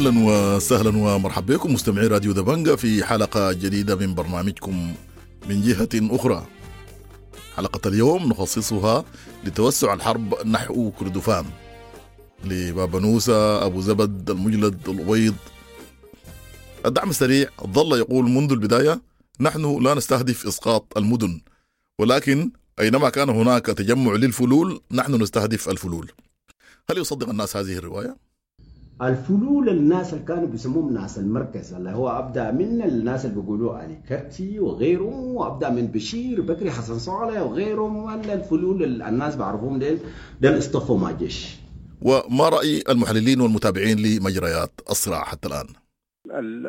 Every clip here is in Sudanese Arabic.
اهلا وسهلا ومرحبا بكم مستمعي راديو دبنجا في حلقة جديدة من برنامجكم من جهة اخرى. حلقة اليوم نخصصها لتوسع الحرب نحو كردفان، لبابنوسة، ابو زبد، المجلد، الابيض. الدعم السريع ظل يقول منذ البداية: نحن لا نستهدف اسقاط المدن، ولكن اينما كان هناك تجمع للفلول نحن نستهدف الفلول. هل يصدق الناس هذه الرواية؟ الفلول الناس اللي كانوا بيسموهم ناس المركز، اللي هو ابدا من الناس اللي بيقولوا علي كرتي وغيرهم، وابدا من بشير بكري حسن صالح وغيرهم، ولا الفلول الناس بعرفوهم ديل ديل اصطفوا مع الجيش. وما راي المحللين والمتابعين لمجريات الصراع حتى الان؟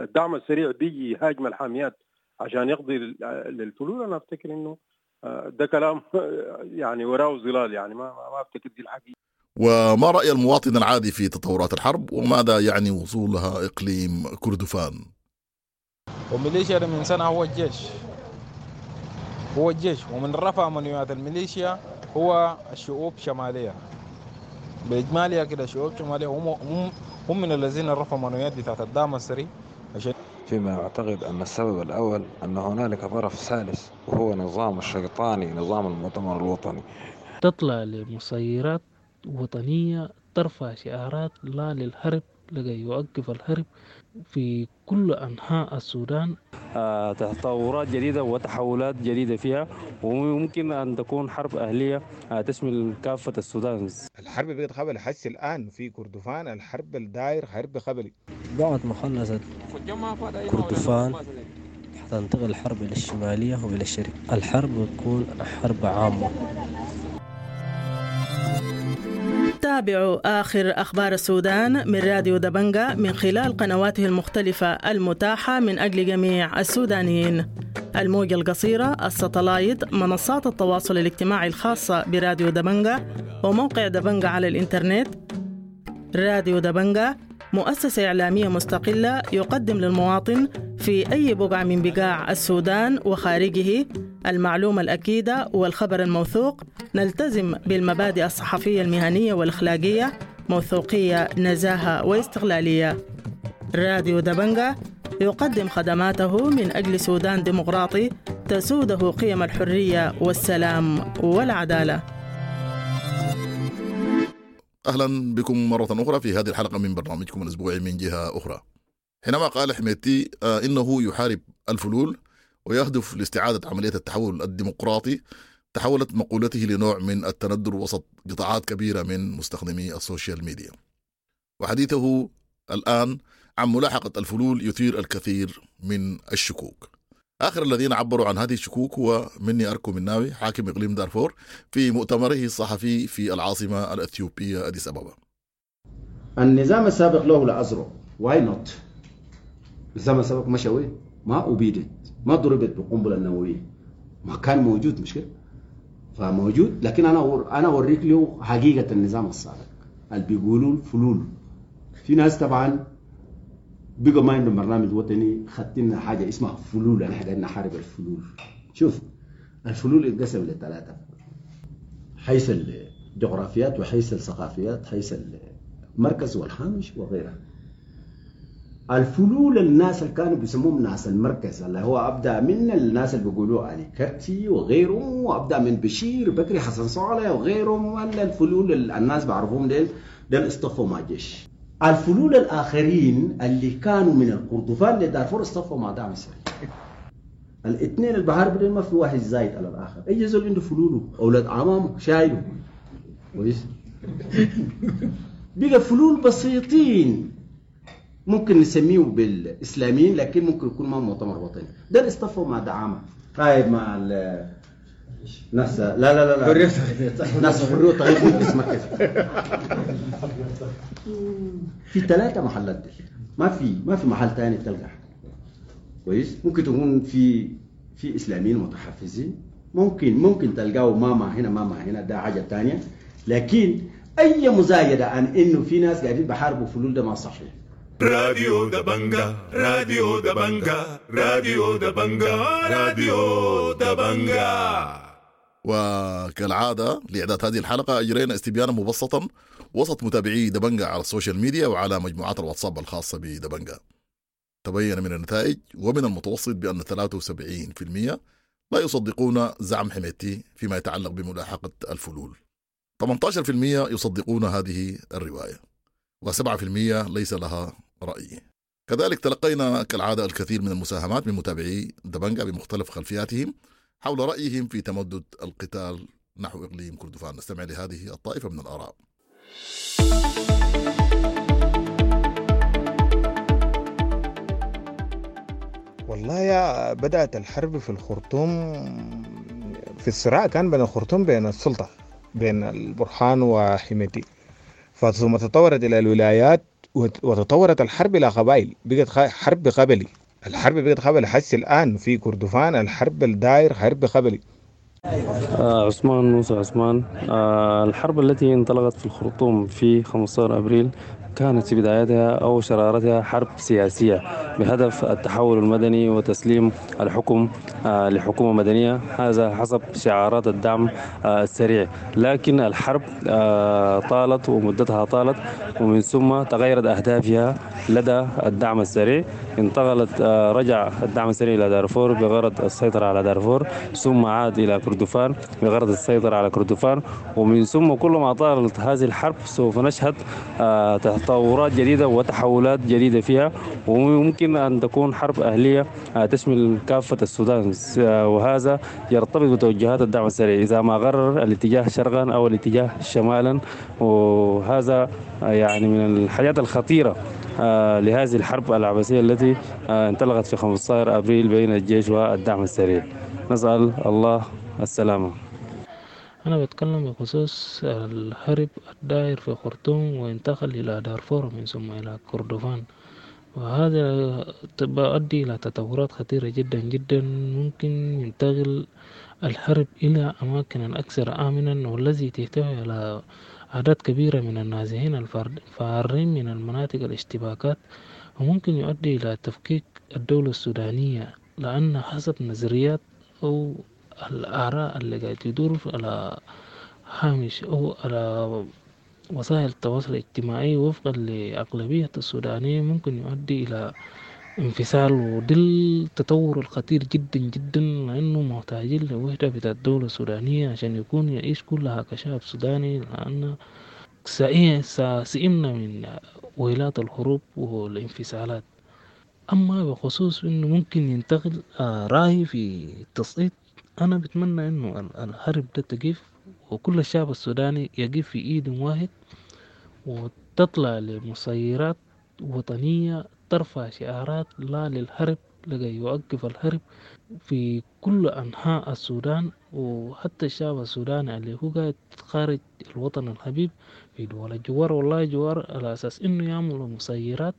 الدعم السريع بيجي يهاجم الحاميات عشان يقضي للفلول. انا افتكر انه ده كلام يعني وراه ظلال، يعني ما افتكر دي الحقيقة. وما رأي المواطن العادي في تطورات الحرب، وماذا يعني وصولها إقليم كردفان؟ وميليشيا من سنة هو الجيش، هو الجيش، ومن رفع منويات الميليشيا هو الشعوب الشمالية بإجمالها كده. الشعوب الشمالية هم من الذين رفعوا منويات بتاعت الدعم السري. عشان فيما أعتقد أن السبب الأول أن هنالك طرف ثالث، وهو نظام الشيطاني، نظام المؤتمر الوطني. تطلع لمسيرات وطنية ترفع شعارات لا للهرب لكي يوقف الهرب في كل أنحاء السودان. تطورات جديدة وتحولات جديدة فيها، وممكن أن تكون حرب أهلية تشمل كافة السودان. الحرب بقت قبلي حس الآن في كردفان، الحرب الداير حرب قبلي. بعد ما خلصت كردفان حتنتقل الحرب إلى الشمالية وإلى الشرق. الحرب بتكون حرب عامة. تابعوا آخر أخبار السودان من راديو دبنجا من خلال قنواته المختلفة المتاحة من أجل جميع السودانيين: الموجة القصيرة، الستلايت، منصات التواصل الاجتماعي الخاصة براديو دبنجا، وموقع دبنجا على الإنترنت. راديو دبنجا مؤسسة إعلامية مستقلة يقدم للمواطن في أي بقعة من بقاع السودان وخارجه المعلومة الأكيدة والخبر الموثوق. نلتزم بالمبادئ الصحفية المهنية والأخلاقية، موثوقية، نزاهة واستقلالية. راديو دبنجا يقدم خدماته من أجل سودان ديمقراطي تسوده قيم الحرية والسلام والعدالة. اهلا بكم مرة اخرى في هذه الحلقة من برنامجكم الاسبوعي من جهة اخرى. حينما قال حميدتي انه يحارب الفلول ويهدف لاستعادة عملية التحول الديمقراطي، تحولت مقولته لنوع من التندر وسط قطاعات كبيرة من مستخدمي السوشيال ميديا. وحديثه الان عن ملاحقه الفلول يثير الكثير من الشكوك. آخر الذين عبروا عن هذه الشكوك هو مني أركو مناوي، حاكم إقليم دارفور، في مؤتمره الصحفي في العاصمة الأثيوبية أديس أبابا. النظام السابق له الأزرق، why not؟ النظام السابق مشى وين؟ ما أبيدت، ما ضربت بالقنبلة النووية، ما كان موجود، مش كده؟ فموجود، لكن أنا أوريك له حقيقة النظام السابق اللي بيقولوا الفلول. في ناس طبعا بقى ما عندهم برنامج وطني، خدتنا حاجة اسمها فلول، احنا قاعدين نحارب الفلول. شوف الفلول اتقسم لثلاثة: حيث الجغرافيات وحيث الثقافيات، حيث المركز والهامش وغيرها. الفلول الناس اللي كانوا بيسموهم ناس المركز، اللي هو ابدا من الناس اللي بيقولوا علي كرتي وغيرهم، وابدا من بشير بكري حسن صالح وغيرهم، ولا الفلول الناس بعرفوهم ديل ديل اصطفوا مع الجيش. الفلول الآخرين اللي كانوا من الكردفان لدارفور اصطفوا مع دعم السريع. الاثنين البحار بدل ما في واحد زايد على الآخر، أي زول عنده فلوله أولاد عمامه شايله كويس. بقى فلول بسيطين ممكن نسميه بالإسلاميين، لكن ممكن يكون ما مؤتمر وطني، ده اصطفوا مع دعامة. طيب مع ناس لا لا لا لا ناس حرية تغيير مجلس مركزي. في 3 محلات دي، ما في محل ثاني تلقى كويس. ممكن تكون في اسلاميين متحفزين، ممكن تلقاه ماما هنا ماما هنا، ده حاجة ثانية. لكن اي مزايده عن انه في ناس قاعدين بحاربوا فلول ده ما صحيح. راديو دبنجا، راديو دبنجا، راديو دبنجا، راديو دبنجا. وكالعادة لإعداد هذه الحلقة أجرينا استبيانا مبسطا وسط متابعي دبنجا على السوشيال ميديا وعلى مجموعات الواتساب الخاصة بدبنجا. تبين من النتائج ومن المتوسط بأن 73% لا يصدقون زعم حميدتي فيما يتعلق بملاحقة الفلول. 18% يصدقون هذه الرواية، و7% ليس لها رأي. كذلك تلقينا كالعادة الكثير من المساهمات من متابعي دبنجا بمختلف خلفياتهم حول رأيهم في تمدد القتال نحو إقليم كردفان. نستمع لهذه الطائفة من الآراء. والله يا بدأت الحرب في الخرطوم، في الصراع كان بين الخرطوم بين السلطة بين البرهان وحميدتي، ثم تطورت إلى الولايات وتطورت الحرب إلى قبائل، بقت حرب قبلي. الحرب بقت قبلي حس الآن في كردفان الحرب الداير حرب قبلي. عثمان موسى عثمان. الحرب التي انطلقت في الخرطوم في 15 أبريل كانت في بدايتها أو شرارتها حرب سياسية بهدف التحول المدني وتسليم الحكم لحكومة مدنية، هذا حسب شعارات الدعم السريع. لكن الحرب طالت ومدتها طالت، ومن ثم تغيرت أهدافها لدى الدعم السريع. انتقلت رجع الدعم السريع إلى دارفور بغرض السيطرة على دارفور، ثم عاد إلى كردفان بغرض السيطرة على كردفان، ومن ثم كل ما طالت هذه الحرب سوف نشهد تطورات جديدة وتحولات جديدة فيها، وممكن أن تكون حرب أهلية تشمل كافة السودان، وهذا يرتبط بتوجهات الدعم السريع إذا ما قرر الاتجاه شرقا أو الاتجاه شمالا. وهذا يعني من الحاجات الخطيرة لهذه الحرب العبثية التي انطلقت في 15 أبريل بين الجيش والدعم السريع. نسأل الله السلامة. أنا بتكلم بخصوص الحرب الدائر في خرطوم وانتقل إلى دارفور من ثم إلى كردفان، وهذا بيؤدي إلى تطورات خطيرة جدا جدا. ممكن ينتقل الحرب إلى أماكن أكثر آمنا، والذي تحتوي على أعداد كبيرة من النازحين الفارين من المناطق الاشتباكات، وممكن يؤدي إلى تفكيك الدولة السودانية، لأن حسب نظريات أو الآراء اللي قاعد تدور على هامش أو على وسائل التواصل الاجتماعي وفقا لأغلبية السودانيين ممكن يؤدي إلى انفصال، وده التطور الخطير جدا جدا، لأنه محتاجين لوحدة بتاع الدولة السودانية عشان يكون يعيش كلها كشعب سوداني، لأن سئمنا من ويلات الحروب والانفصالات. أما بخصوص إنه ممكن ينتقل رأيي في التصعيد، أنا بتمنى إنه الحرب ده تقف، وكل الشعب السوداني يقف في إيد واحد، وتطلع لمسيرات وطنية ترفع شعارات لا للحرب لكي يوقف الحرب في كل أنحاء السودان، وحتى الشعب السوداني اللي هو قاعد خارج الوطن الحبيب في دول الجوار والله جوار، على أساس إنه يعملوا مسيرات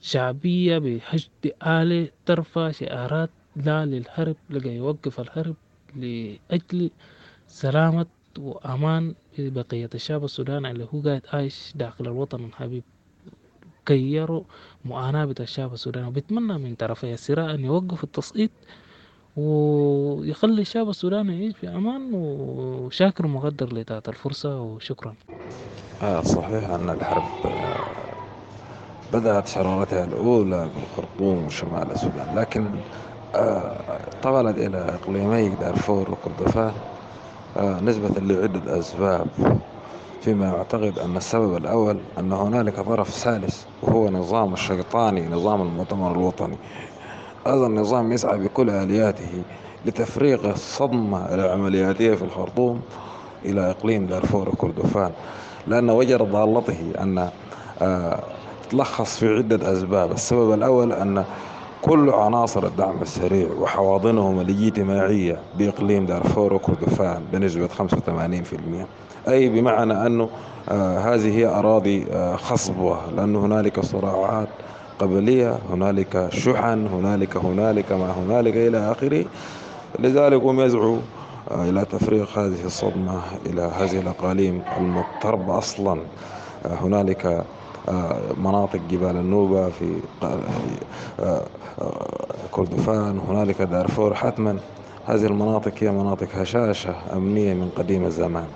شعبية بحشد آلي ترفع شعارات لا للحرب لكي يوقف الحرب لأجل سلامة وأمان بقية الشعب السوداني اللي هو قاعد عايش داخل الوطن الحبيب، كي يروا معاناة بتاع الشعب السوداني. وبتمنى من طرفي الصراع أن يوقفوا التصعيد ويخلي الشعب السوداني يعيش في أمان. وشاكر ومقدر لإتاحة الفرصة، وشكرا. صحيح أن الحرب بدأت شرارتها الأولى بالخرطوم وشمال السودان، لكن طولت إلى إقليمي دارفور وكردفان نسبة لعدة أسباب، فيما أعتقد أن السبب الأول أن هنالك طرف ثالث وهو نظام الشيطاني، نظام المؤتمر الوطني. هذا النظام يسعى بكل آلياته لتفريغ الصدمة العملياتية في الخرطوم إلى إقليم دارفور وكردفان، لأن وجد ضالته أن تلخص في عدة أسباب. السبب الأول أن كل عناصر الدعم السريع وحواضنهم الاجتماعية بإقليم دارفور وكردفان بنسبة 85%، أي بمعنى أنه هذه هي أراضي خصبة، لأن هنالك صراعات قبلية، هنالك شحن، هنالك ما هنالك إلى آخره. لذلك هم يسعوا إلى تفريغ هذه الصدمة إلى هذه الأقاليم المضطربة أصلا. هنالك مناطق جبال النوبة في كردفان، هنالك دارفور. حتما هذه المناطق هي مناطق هشاشة أمنية من قديم الزمان،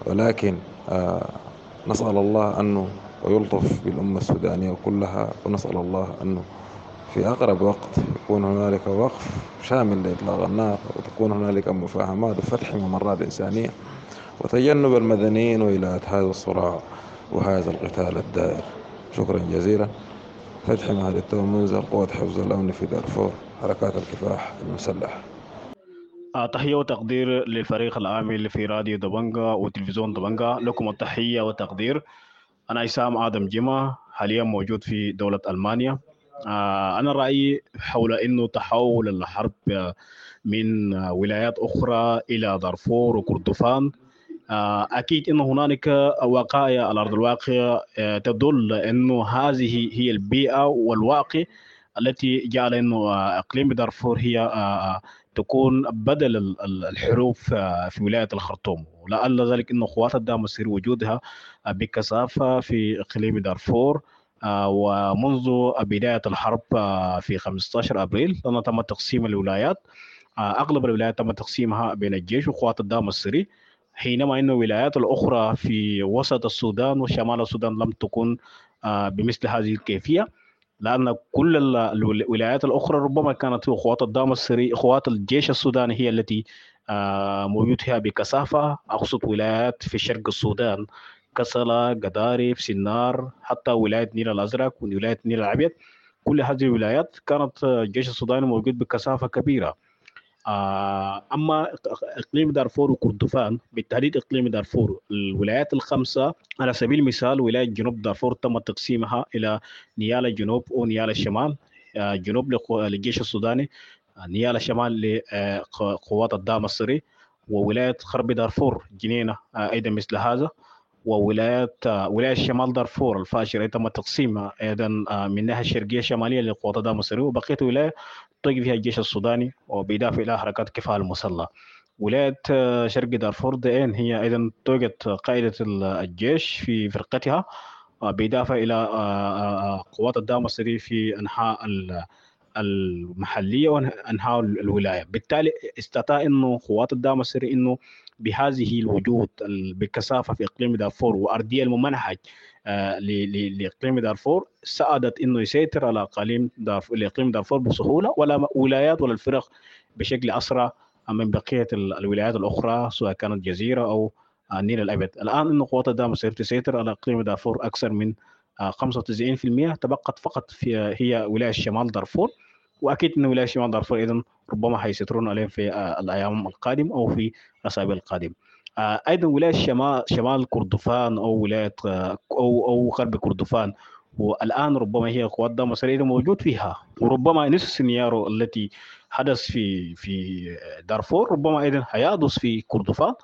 ولكن نسأل الله أنه ويلطف بالأمة السودانية كلها، ونسأل الله أنه في أقرب وقت يكون هنالك وقف شامل لإطلاق النار، وتكون هنالك مفاهمات وفتح ممرات إنسانية وتجنب المدنيين وإلى هذا الصراع وهذا القتال الدائر. شكرا جزيلا. فتحي مهدي منزل قوة حفظ الأمن في دارفور، حركات الكفاح المسلح. تحية وتقدير للفريق العامل في راديو دبنجا وتلفزيون دبنجا، لكم التحية والتقدير. أنا عصام آدم جمة، حاليا موجود في دولة ألمانيا. أنا رأيي حول أنه تحول الحرب من ولايات أخرى إلى دارفور وكردفان، أكيد أنه هنالك وقائع على أرض الواقع تدل أنه هذه هي البيئة والواقع التي جعل أنه إقليم دارفور هي تكون بدل الحروب في ولاية الخرطوم، ولعل ذلك أنه قوات الدعم السري وجودها بكثافة في إقليم دارفور ومنذ بداية الحرب في 15 أبريل، لأنه تم تقسيم الولايات، أغلب الولايات تم تقسيمها بين الجيش وقوات الدعم السري، حينما أن الولايات الأخرى في وسط السودان وشمال السودان لم تكن بمثل هذه الكيفية، لأن كل الولايات الأخرى ربما كانت قوات الدعم السري، قوات الجيش السوداني هي التي موجودها بكثافة. أقصد ولايات في شرق السودان، كسلا، قدارف، سنار، حتى ولاية نيل الأزرق وولاية نيل الأبيض، كل هذه الولايات كانت الجيش السوداني موجود بكثافة كبيرة. أما إقليم دارفور وكردفان، بالتحديد إقليم دارفور، الولايات الخمسة على سبيل المثال، ولاية جنوب دارفور تم تقسيمها إلى نيال الجنوب ونيال الشمال، جنوب للجيش السوداني، نيال الشمال لقوات الدعم السري، وولاية غرب دارفور جنينة أيضا مثل هذا، وولاية ولاية شمال دارفور الفاشر تم تقسيمها أيضا من الناحية الشرقية الشمالية لقوات الدعم السري، وبقية ولاية تقف فيها الجيش السوداني وبإضافة إلى حركات كفاح المسلحة. ولاية شرق دارفور دين هي أيضا توجد قائدة الجيش في فرقتها، بإضافة إلى قوات الدعم السري في أنحاء المحلية وأنحاء الولاية. بالتالي استطاع إنه قوات الدعم السري إنه بهذه الوجود بكثافة في إقليم دارفور وأرضية الممنهج لإقليم دارفور، ساعدت إنه يسيطر على أقاليم دارفور، لإقليم دارفور بسهولة، ولا ولايات ولا الفرق بشكل أسرع من بقية الولايات الأخرى سواء كانت جزيرة أو النيل الأبيض. الآن إنه قوات الدعم السري تسيطر على إقليم دارفور أكثر من 95%، تبقت فقط في هي ولاية شمال دارفور، واكيد ان ولاية شمال دارفور ايضا ربما حيسيطرون عليهم في الايام القادمة او في الاسابيع القادمة. ايضا ولاية شمال كردفان او ولاية او غرب كردفان، والان ربما هي قوات الدعم السري موجود فيها، وربما نفس السيناريو التي حدث في دارفور ربما ايضا حيحدث في كردفان،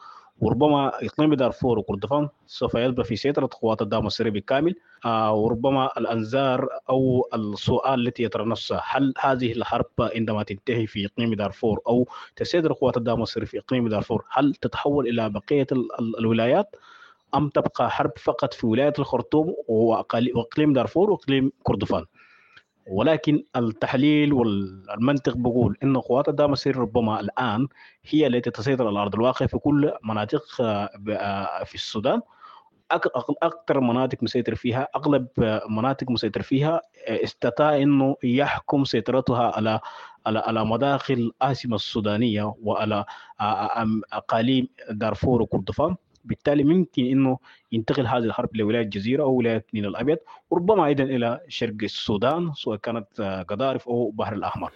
وربما اقليم دارفور وكردفان سوف يبقى في سيطرة قوات الدعم السري بالكامل. وربما الانظار او السؤال التي يطرح نفسه، هل هذه الحرب عندما تنتهي في اقليم دارفور او تسيطر قوات الدعم السري في اقليم دارفور، هل تتحول الى بقية الولايات ام تبقى حرب فقط في ولاية الخرطوم واقليم دارفور واقليم كردفان؟ ولكن التحليل والمنطق بقول ان قوات الدعم السري ربما الان هي التي تسيطر على ارض الواقع في كل مناطق في السودان. اكثر مناطق مسيطر فيها، اغلب مناطق مسيطر فيها استطاع انه يحكم سيطرتها على على على مداخل العاصمة السودانية وعلى اقاليم دارفور وكردفان. بالتالي ممكن انه ينتقل هذه الحرب لولاية الجزيرة او ولاية النيل الابيض، وربما ايضا الى شرق السودان سواء كانت قضارف او بحر الاحمر.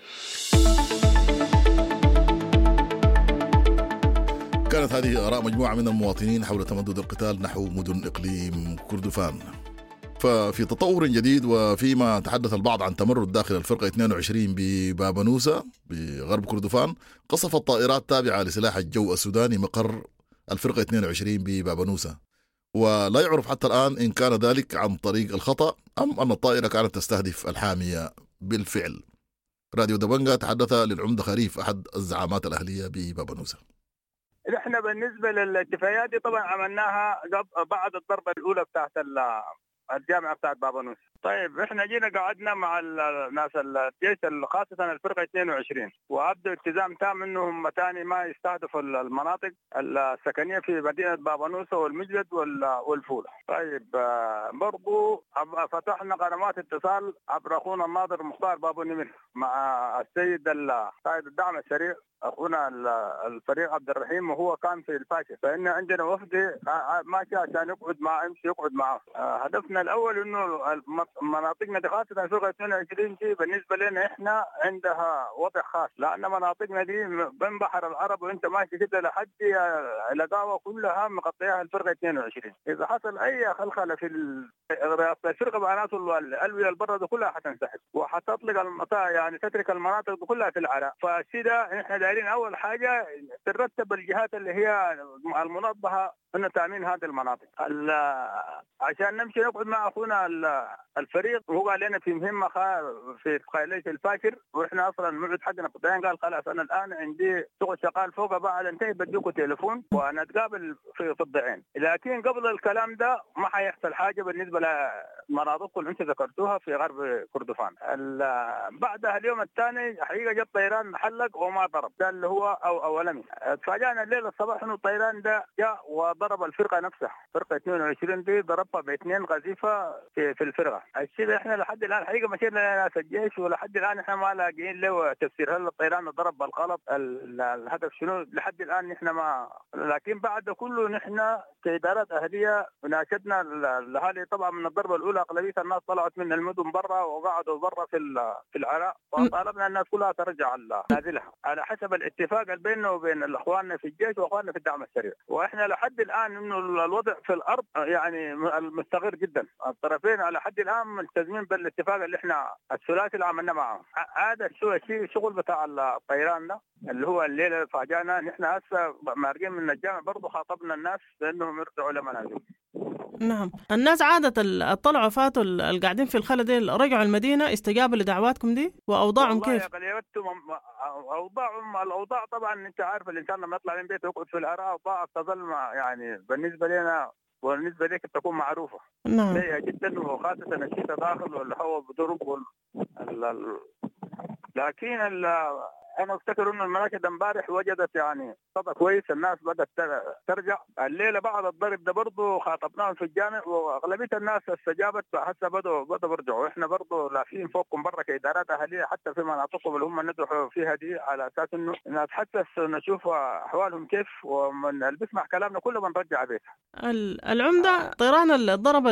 كانت هذه آراء مجموعة من المواطنين حول تمدد القتال نحو مدن إقليم كردفان. ففي تطور جديد، وفيما تحدث البعض عن تمرد داخل الفرقة 22 ببابنوسة بغرب كردفان، قصفت طائرات تابعة لسلاح الجو السوداني مقر الفرقة 22 ببابنوسة، ولا يعرف حتى الآن إن كان ذلك عن طريق الخطأ أم أن الطائرة كانت تستهدف الحامية بالفعل. راديو دبنجا تحدث للعمدة خريف أحد الزعامات الأهلية ببابنوسة. احنا بالنسبة للاتفاقيات دي طبعا عملناها بعد الضربة الاولى بتاعت الجامعة بتاعت بابانوس. طيب احنا جينا قعدنا مع الناس الجيش، خاصة الفرقة 22، وابدوا التزام تام انهم ثاني ما يستهدفوا المناطق السكنية في مدينة بابانوسة والمجلد والفوله. طيب برضو فتحنا قنوات اتصال عبر اخونا الناظر مختار بابو نمر مع السيد قائد الدعم السريع اخونا الفريق عبد الرحيم، وهو كان في الفاشر، فان عندنا وفد ماشي عشان يقعد مع يمشي يقعد معه. هدفنا الاول انه مناطقنا دي خاصة الفرقة 22 دي بالنسبة لنا احنا عندها وضع خاص، لان مناطقنا دي بين بحر العرب وانت ماشي كده لحد لقاوه كلها مغطيها الفرقة 22. اذا حصل اي خلخله في الفرقة معناته الالوية البرة دي كلها حتنسحب وحتطلق المنطقة، يعني تترك المناطق دي كلها في العراء. فالشيء ده احنا دايرين اول حاجة ترتب الجهات اللي هي المنظمة انه تامين هذه المناطق عشان نمشي نقعد مع اخونا الفريق. وهو قال لنا في مهمة في قايليه الفاشر، واحنا اصلا الموعد حقنا في الضعين. قال خلاص انا الان عندي شغل شغال فوق، بعد انتهي بديكوا تليفون ونتقابل في الضعين. لكن قبل الكلام ده ما حيحصل حاجة بالنسبة لمناطقكم اللي انتم ذكرتوها في غرب كردفان. بعدها اليوم الثاني حقيقة جت طيران حلق وما ضرب، ده اللي هو او اولمي. تفاجأنا الليلة الصباح انه الطيران ده جاء وضرب الفرقة نفسها، فرقه 22 دي ضربها باثنين قذيفه في الفرقة. الشيء ده احنا لحد الان حقيقة مشينا لناس الجيش ولحد الان احنا ما لاقيين له تفسير، هل الطيران ضرب بالغلط، الهدف شنو لحد الان نحن ما. لكن بعد كله نحن كادارات اهليه ناشدنا الاهالي طبعا من الضربة الاولى اغلبية الناس طلعت من المدن برا وقعدوا برا في العراء، وطالبنا الناس كلها ترجع نازلها على حسب الاتفاق اللي بيننا وبين اخواننا في الجيش واخواننا في الدعم السريع. واحنا لحد الان انه الوضع في الارض يعني مستقر جدا، الطرفين على حد الان ملتزمين بالاتفاق اللي احنا الثلاثي اللي عملناه معهم. هذا الشيء شغل بتاع الطيران ده اللي هو الليلة فاجأنا. نحن هسه مارقين من الجامع برضه خاطبنا الناس بانهم يرجعوا لمنازلهم. نعم، الناس عادة طلعوا فاتوا القاعدين في الخلا دي رجعوا المدينة، استجابوا لدعواتكم دي وأوضاعهم كيف؟ أوضاعهم الأوضاع طبعا أنت عارف الإنسان لما يطلع من بيته يقعد في العراء أوضاع تظل يعني بالنسبة لنا وبالنسبة لك تكون معروفة. نعم. سيئة جدا، وخاصة الشتاء داخل والهواء بضرب لكن انا افتكر انه المراكز امبارح وجدت يعني صدى كويس، الناس بدات ترجع. الليلة بعد الضرب ده برضه خاطبناهم في الجامع واغلبيه الناس استجابت، هسه بدوا يرجعوا. احنا برضه لافين فوقكم برا كادارات اهليه حتى في مناطقهم اللي هم ندحوا فيها دي، على اساس انه نتحسس نشوف احوالهم كيف، ومن اللي بيسمع كلامنا كله بنرجع بيتها. العمدة، طيران اللي ضرب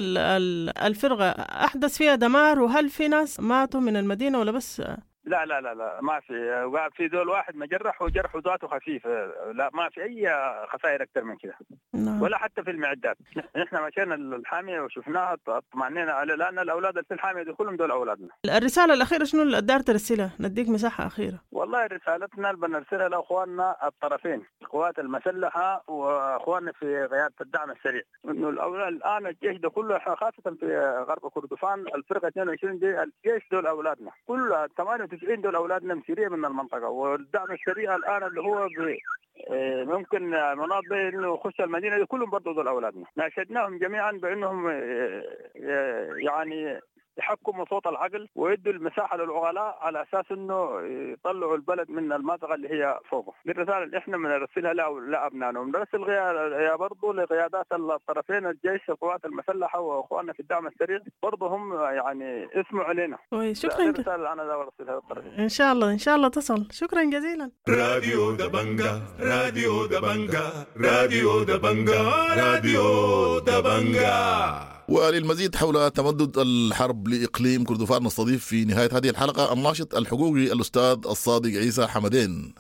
الفرقة احدث فيها دمار، وهل في ناس ماتوا من المدينة ولا بس؟ لا لا لا لا، ما في، في دول واحد مجرح وجرحه ذاته خفيف، لا ما في اي خسائر اكثر من كده. نعم. ولا حتى في المعدات. نحن مشينا الحامية وشفناها اطمئنينا على، لان الاولاد اللي في الحامية دي كلهم دول اولادنا. الرسالة الاخيرة شنو اللي قدرت ترسلها؟ نديك مساحة اخيرة. والله رسالتنا اللي بنرسلها لاخواننا الطرفين، القوات المسلحة واخواننا في قيادة الدعم السريع، انه الان الجيش ده كله خاصة في غرب كردفان الفرقة 22 دي الجيش دول اولادنا، كل 98 دول اولادنا مسيريه من المنطقة. والدعم السريع الان اللي هو ممكن مناط انه يخش المدينة دي كلهم برضه دول اولادنا. ناشدناهم جميعا بانهم يعني يحكموا صوت العقل ويدوا المساحة للعقلاء على اساس انه يطلعوا البلد من المنطقة اللي هي فوقه. دي الرسالة اللي احنا بنرسلها لابنائنا، وبنرسل برضه لقيادات الطرفين، الجيش القوات المسلحة واخواننا في الدعم السريع برضه هم يعني اسمعوا علينا. شكرا. الرسالة اللي انا برسلها للطرفين. ان شاء الله ان شاء الله تصل. شكرا جزيلا. راديو دبنجا، راديو دبنجا، راديو دبنجا، راديو دبنجا. وللمزيد حول تمدد الحرب لإقليم كردفان نستضيف في نهاية هذه الحلقة الناشط الحقوقي الأستاذ الصادق عيسى حمدين.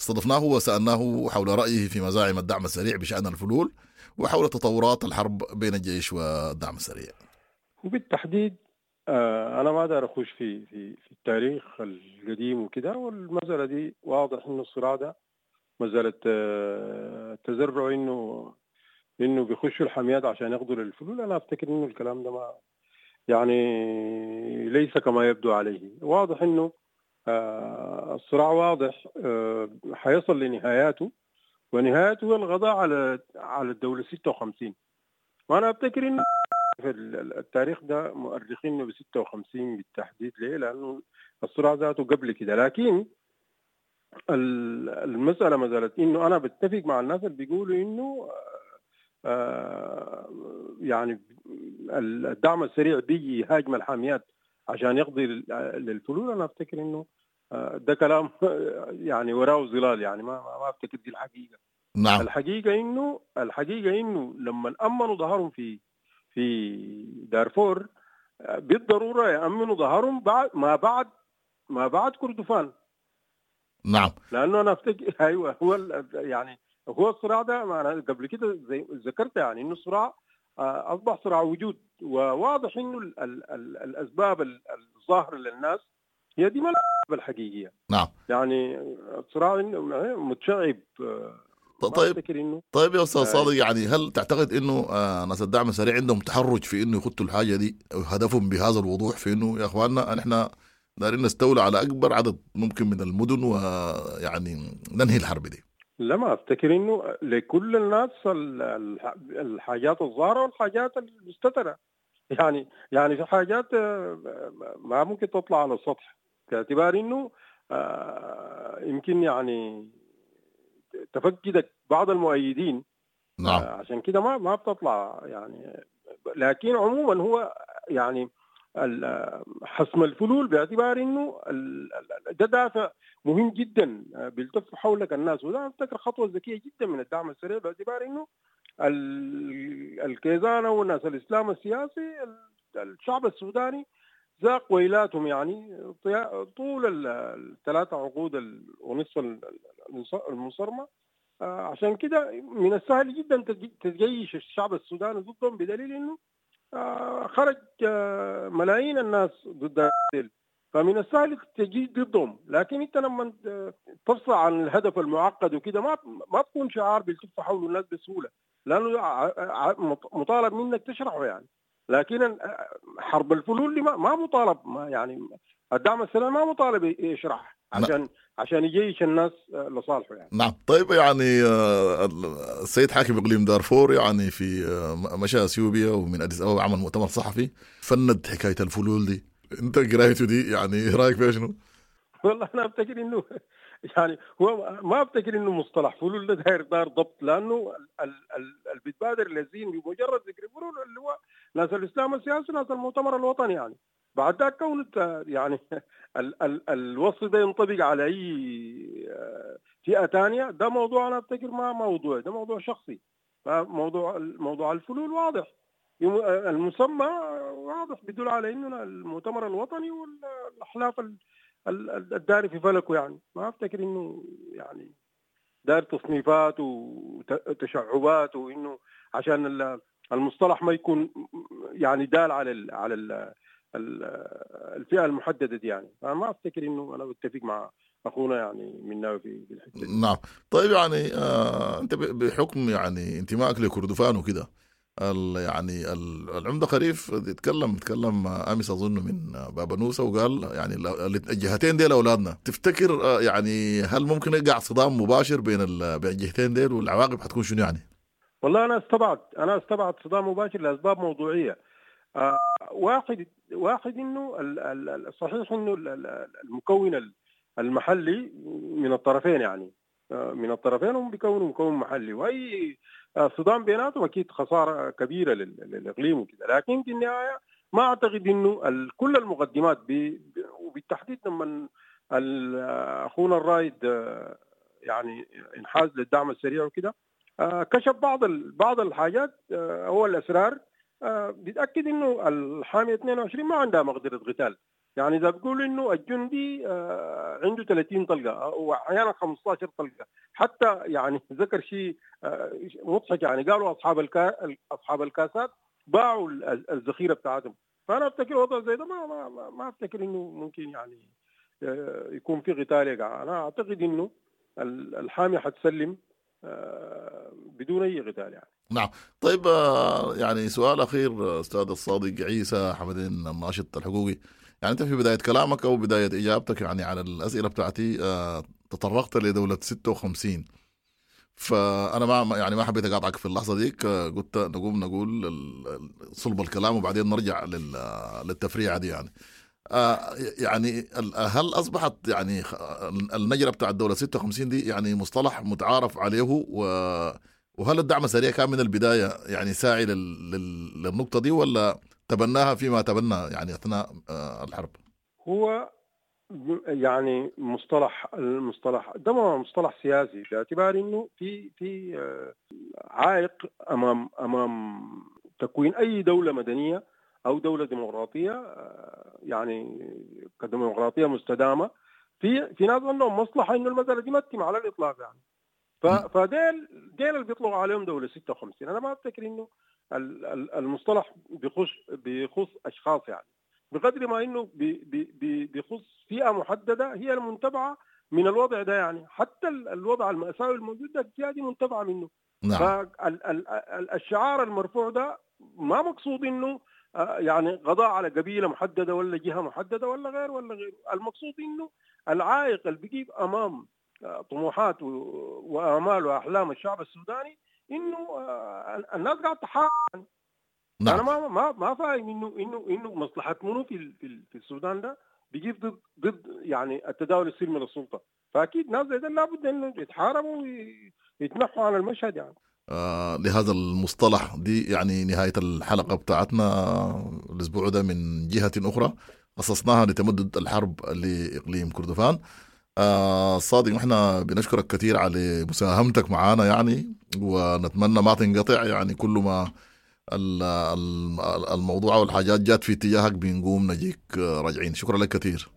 استضفناه وسألناه حول رأيه في مزاعم الدعم السريع بشأن الفلول وحول تطورات الحرب بين الجيش والدعم السريع. وبالتحديد أنا ما أقدر أخش في في في التاريخ القديم وكده، والمسألة دي واضح إنه الصراع ده مسألة تزرع إنه بيخشوا الحاميات عشان ياخذوا الفلول. أنا أفتكر إنه الكلام ده ما يعني ليس كما يبدو عليه. واضح إنه الصراع واضح حيصل لنهاياته، ونهايته هو القضاء على الدولة 56. وأنا أفتكر إنه عارف التاريخ ده مؤرخينه ب 56 بالتحديد ليه؟ لانه الصراع ذاته قبل كده. لكن المسالة ما زالت انه انا بتفق مع الناس اللي بيقولوا انه يعني الدعم السريع بيجي يهاجم الحاميات عشان يقضي للفلول. انا افتكر انه ده كلام يعني وراه ظلال، يعني ما افتكر دي الحقيقة. نعم. الحقيقة انه لما امنوا ظهرهم في دارفور بالضرورة يامنوا ظهرهم بعد ما بعد كردفان. نعم. لانه انا افتكر ايوه هو يعني هو الصراع ده ما انا قبل كده زي ذكرت يعني انه الصراع اصبح صراع وجود، وواضح انه الاسباب الظاهرة للناس هي دي ما الاسباب الحقيقية. نعم. يعني الصراع متشعب. طيب يا استاذ صادق، يعني هل تعتقد انه ناس الدعم السريع عندهم تحرج في انه يخطوا الحاجة دي، هدفهم بهذا الوضوح في انه يا اخواننا نحن دارين نستولى على اكبر عدد ممكن من المدن ويعني ننهي الحرب دي؟ لا، ما افتكر انه لكل الناس الحاجات الظاهرة والحاجات المستتره، يعني في حاجات ما ممكن تطلع على السطح باعتبار انه يمكن يعني تفقدك بعض المؤيدين. نعم. عشان كده ما بتطلع يعني. لكن عموما هو يعني حسم الفلول باعتبار انه ده دافع مهم جدا بيلتف حولك الناس، وده افتكر خطوة ذكية جدا من الدعم السريع باعتبار انه الكيزان والناس الاسلام السياسي الشعب السوداني ذاق ويلاتهم يعني طول الثلاثة عقود ونصف المنصرمه. عشان كده من السهل جدا تجيش الشعب السوداني ضدهم، بدليل انه خرج ملايين الناس ضد الديل، فمن السهل تجي ضدهم. لكن انت لما تفصل عن الهدف المعقد وكده ما بكون شعار بيلتف حوله الناس بسهولة، لانه مطالب منك تشرحه يعني. لكن حرب الفلول ما مطالب، ما يعني الدعم السريع ما مطالب يشرح عشان يجيش الناس لصالحه يعني. نعم. طيب يعني السيد حاكم اقليم دارفور يعني في مشى اثيوبيا ومن اديس ابابا عمل مؤتمر صحفي فند حكاية الفلول دي، انت قرايته دي يعني رايك فيها شنو؟ والله انا افتكر انه يعني هو ما افتكر انه مصطلح فلول ده داير دار ضبط، لانه اللي بيتبادر للذهن بمجرد ذكر فلول اللي هو ناس الاسلام السياسي ناس المؤتمر الوطني يعني. بعد ذاك كون يعني الوصف ده ينطبق على اي فئة ثانية، ده موضوع انا افتكر ما موضوع، ده موضوع شخصي. موضوع الفلول واضح، المسمى واضح بيدل على انه المؤتمر الوطني والاحلاف الداري في فلكه يعني. ما افتكر انه يعني دار تصنيفات وتشعبات وانه عشان المصطلح ما يكون يعني دال على ال الفئة المحددة دي يعني. فما افتكر انه انا بتفق مع اخونا يعني منا في الحتة دي. نعم. طيب يعني انت بحكم يعني انتمائك لكردفان وكده، يعني العمدة خريف تكلم امس اظن من بابنوسه وقال يعني الجهتين ديل اولادنا، تفتكر يعني هل ممكن يقع صدام مباشر بين الجهتين ديل والعواقب حتكون شنو يعني؟ والله انا استبعد صدام مباشر لاسباب موضوعية. واحد انه صحيح انه المكون المحلي من الطرفين يعني من الطرفين هم بيكونوا مكون محلي، واي صدام بيناتهم اكيد خسارة كبيرة للاقليم وكذا. لكن في النهاية ما اعتقد انه كل المقدمات وبالتحديد لما اخونا الرايد يعني انحاز للدعم السريع وكذا كشف بعض الحاجات هو الاسرار، بيتاكد انه الحامية 22 ما عندها مقدره قتال. يعني اذا بيقول انه الجندي عنده 30 طلقه واحيانا 15 طلقه، حتى يعني ذكر شيء مضحك يعني قالوا اصحاب الكاسات باعوا الذخيره بتاعتهم. فانا افتكر وضع زي ده ما ما ما افتكر انه ممكن يعني يكون في قتال يقع. انا اعتقد انه الحامية حتسلم بدون اي قتال يعني. نعم. طيب يعني سؤال اخير استاذ الصادق عيسى حمدين الناشط الحقوقي، يعني انت في بداية كلامك او بداية اجابتك يعني على الاسئلة بتاعتي تطرقت لدولة 56، فانا ما يعني ما حبيت اقاطعك في اللحظة ديك، قلت نقوم نقول صلب الكلام وبعدين نرجع للتفريعه دي يعني. يعني هل اصبحت يعني النجره بتاع الدولة 56 دي يعني مصطلح متعارف عليه، وهل الدعم السريع كان من البداية يعني ساعي للنقطة دي، ولا تبناها فيما تبنى يعني اثناء الحرب؟ هو يعني المصطلح ده ما مصطلح سياسي، باعتبار انه في عائق امام تكوين اي دولة مدنية او دولة ديمقراطية، يعني كديمقراطيه مستدامة. في ناس عندهم مصلحة انه المسالة دي ما تتم على الاطلاق يعني. فديل ديل اللي بيطلقوا عليهم دولة 56. انا ما افتكر انه المصطلح بيخص اشخاص يعني، بقدر ما انه بيخص فئة محددة هي المنتبعه من الوضع ده يعني. حتى الوضع المأساوي الموجود ده الفئة دي منتبعه منه. نعم. فالشعار المرفوع ده ما مقصود انه يعني قضاء على قبيلة محددة ولا جهة محددة ولا غير ولا غير. المقصود انه العائق اللي بيجيب امام طموحات وامال واحلام الشعب السوداني انه الناس قاعدة تحارب. نعم. انا ما فاهم انه مصلحة منو في السودان ده بيجيب ضد يعني التداول السلمي للسلطة. فاكيد ناس زي ده لابد انه يتحاربوا ويتنحوا عن المشهد يعني. لهذا المصطلح دي يعني نهاية الحلقة بتاعتنا الأسبوع ده من جهة أخرى خصصناها لتمدد الحرب لإقليم كردفان. صادق، نحن بنشكرك كثير على مساهمتك معنا يعني، ونتمنى ما تنقطع يعني. كل ما الموضوع والحاجات جات في اتجاهك بنقوم نجيك راجعين. شكرا لك كثير.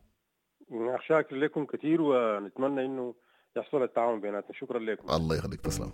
شاكر لكم كثير، ونتمنى انه يحصل التعاون بيناتنا. شكرا لكم. الله يخليك، تسلم.